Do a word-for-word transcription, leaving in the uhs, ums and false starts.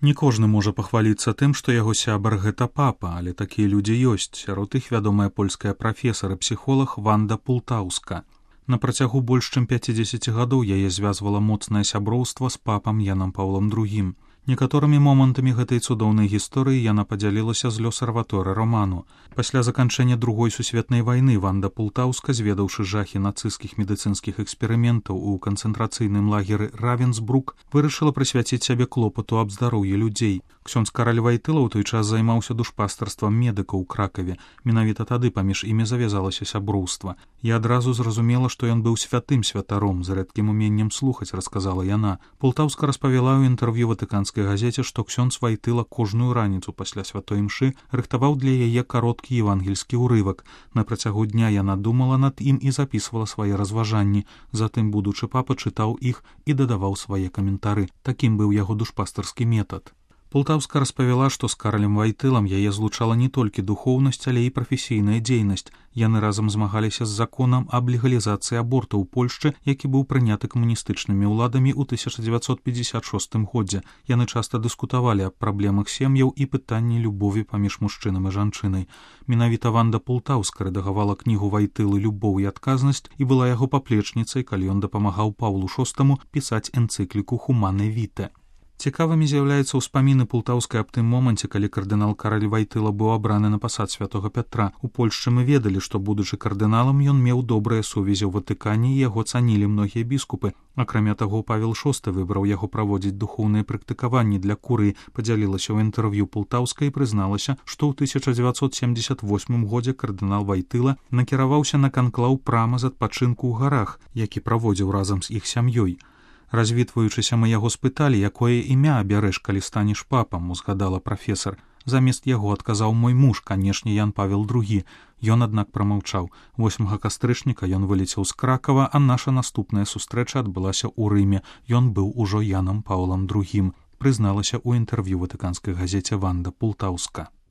Не кожны можа пахваліцца тым, што яго сябар гэта папа, але такія людзі ёсць. Сярод іх вядомая польская прафесар і псіхолог Ванда Пултаўска. На працягу больш чым пяцідзесяці гадоў яе звязвала моцнае сяброўства з папам Янам Паўлам другім. Некаторымі момантамі гэтай цудоўнай гісторыі яна падзялілася з лёс-арваторы роману. Пасля заканчэння другой сусветнай вайны Ванда Пултаўска, зведаўшы жахі нацысцкіх медыцынскіх эксперыментаў у канцэнтрацыйным лагеры Равенсбрук, вырашыла прысвяціць сябе клопату аб здароўі людзей. Ксёндз Караль Вайтыла ў той час займаўся душпастарствам медыкаў у Кракаве. Менавіта тады паміж імі завязалася сяброўства. Я адразу зразумела, што ён быў святым святаром, з рэдкім уменнем слухаць, расказала яна. Пултаўска распавяла ў інтэрв'ю ватыканскай газеце, што ксёндз Вайтыла кожную раніцу пасля святой імшы рыхтаваў для яе кароткі евангельскі ўрывак. На працягу дня яна думала над ім і запісвала свае разважанні. Затым будучы папа чытаў іх і дадаваў свае каментары. Такім быў яго душпастарскі метад. Пултаўска распавяла, што з Каралем Вайтылам яе злучала не толькі духоўнасць, але і прафесійная дзейнасць. Яны разам змагаліся з законам аб легалізацыі аборту ў Польшчы, які быў прыняты камуністычнымі ўладамі ў тысяча дзевяцьсот пятьдесят шостым годзе. Яны часта дыскутавалі аб праблемах сем'яў і пытанні любові паміж мужчынам і жанчынай. Менавіта Ванда Пултаўска рэдагавала кнігу Вайтылы «Любоў і адказнасць» і была яго паплечніцай, калі ён дапамагаў Паўлу шостаму пісаць энцыкліку «Хумане Віте». Цікавымі з'яўляюцца ўспаміны Пултаўскай аб тым моманце, калі кардынал Караль Вайтыла быў абраны на пасад святога Пятра. У Польшчы мы ведалі, што, будучы кардыналам, ён меў добрыя сувязі ў Ватыкане і яго цанілі многія біскупы. Акрамя таго, Павел шосты выбраў яго праводзіць духоўныя практыкаванні для курыі, падзялілася ў інтэрв'ю Пултаўскай і прызналася, што ў тысяча дзевяцьсот семьдесят восьмым годзе кардынал Вайтыла накіраваўся на канклаў прама з адпачынку ў гарах, які праводзіў разам з іх сям'ёй. Развітваючыся, мы яго спыталі, якое імя абярэш, калі станеш папам, узгадала прафесар. Замест яго адказаў мой муж, канешне, Ян Павел другі. Ён, аднак, прамаўчаў. восьмага кастрычніка ён вылецеў з Кракава, а наша наступная сустрэча адбылася ў Рыме. Ён быў ужо Янам Паўлам другім, прызналася ў інтэрв'ю ватыканскай газеце Ванда Пултаўска.